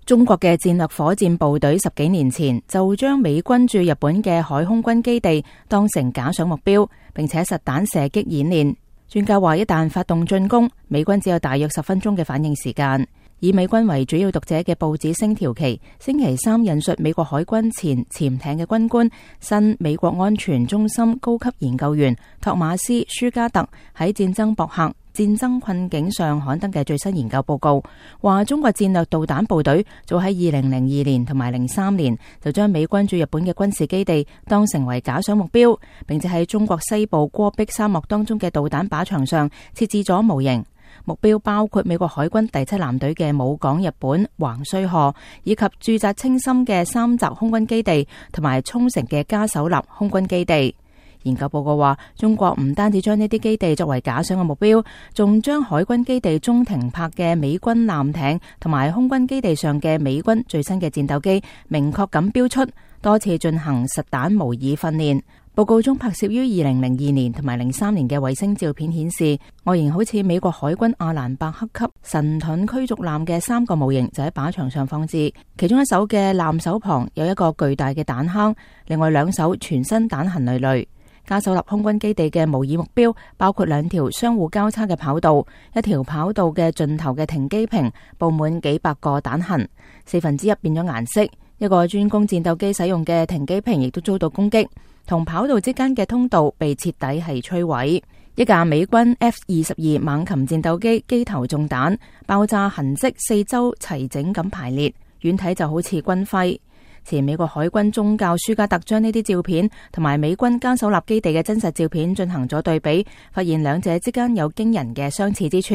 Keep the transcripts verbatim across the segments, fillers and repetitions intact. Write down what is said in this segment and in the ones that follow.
中國嘅戰略火箭部隊十幾年前就將美軍駐日本嘅海空軍基地當成假想目標，並且實彈射擊演練。專家話，一旦發動進攻，美軍只有大約十分鐘嘅反應時間。以美軍為主要讀者嘅報紙星條旗星期三引述美國海軍前潛艇嘅軍官、新美國安全中心高級研究員托馬斯舒加特喺戰爭博客戰爭困境上刊登嘅最新研究報告，話中國戰略導彈部隊早喺二零零二年同埋零三年就將美軍駐日本嘅軍事基地當成為假想目標，並且喺中國西部戈壁沙漠當中嘅導彈靶場上設置咗模型。目標包括美國海軍第七艦隊嘅武港日本橫須賀，以及駐紮青森嘅三澤空軍基地同埋沖繩嘅加手納空軍基地。研究報告話，中國唔單止將呢啲基地作為假想嘅目標，仲將海軍基地中停泊嘅美軍艦艇同埋空軍基地上嘅美軍最新嘅戰鬥機明確咁標出，多次進行實彈模擬訓練。報告中拍攝於二零零二年同埋零三年嘅衛星照片顯示，外形好似美國海軍阿蘭伯克級神盾驅逐艦嘅三個模型就喺靶場上放置，其中一艘嘅艦首旁有一個巨大嘅彈坑，另外兩艘全身彈痕累累。加手納空軍基地嘅模擬目標包括兩條相互交叉嘅跑道，一條跑道嘅盡頭嘅停機坪佈滿幾百個彈痕，四分之一變咗顏色。一個專供戰鬥機使用嘅停機坪亦都遭到攻擊，同跑道之間嘅通道被徹底係摧毀。一架美軍 F 二十二猛禽戰鬥機機頭中彈，爆炸痕跡四周齊整咁排列，遠睇就好似軍徽。前美國海軍中校舒加特將呢啲照片同埋美軍加手納基地嘅真實照片進行咗對比，發現兩者之間有驚人嘅相似之處。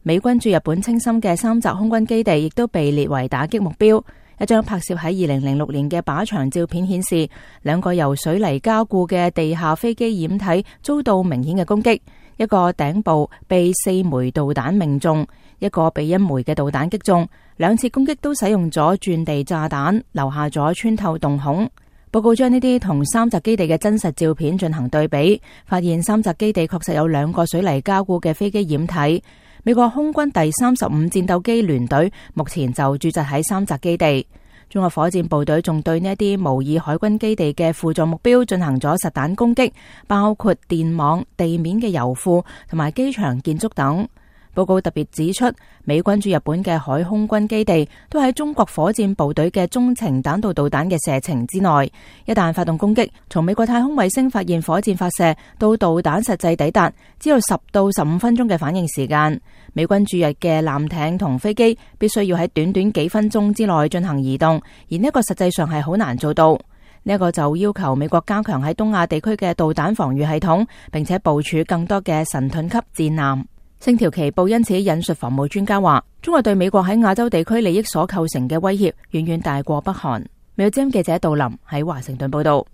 美軍駐日本青森嘅三澤空軍基地亦都被列為打擊目標。一張拍攝喺二零零六年嘅靶場照片顯示，兩個由水泥加固嘅地下飛機掩體遭到明顯嘅攻擊，一個頂部被四枚導彈命中，一個被一枚嘅導彈擊中，兩次攻擊都使用咗鑽地炸彈，留下咗穿透洞孔。報告將呢啲同三澤基地嘅真實照片進行對比，發現三澤基地確實有兩個水泥加固嘅飛機掩體。美國空軍第三十五戰鬥機聯隊目前就駐紮喺三澤基地。中國火箭部隊仲對呢一啲模擬海軍基地嘅輔助目標進行咗實彈攻擊，包括電網、地面嘅油庫同埋機場建築等。報告特別指出，美軍駐日本嘅海空軍基地都喺中國火箭部隊嘅中程彈道導彈嘅射程之內。一旦發動攻擊，從美國太空衛星發現火箭發射到導彈實際抵達，只有十到十五分鐘嘅反應時間。美軍駐日嘅艦艇同飛機必須要喺短短幾分鐘之內進行移動，而呢個實際上係好難做到。呢一個就要求美國加強喺東亞地區嘅導彈防禦系統，並且部署更多嘅神盾級戰艦。星條旗報因此引述防務專家話，中國對美國喺亞洲地區利益所構成嘅威脅遠遠大過北韓。美國之音記者杜林喺華盛頓報道。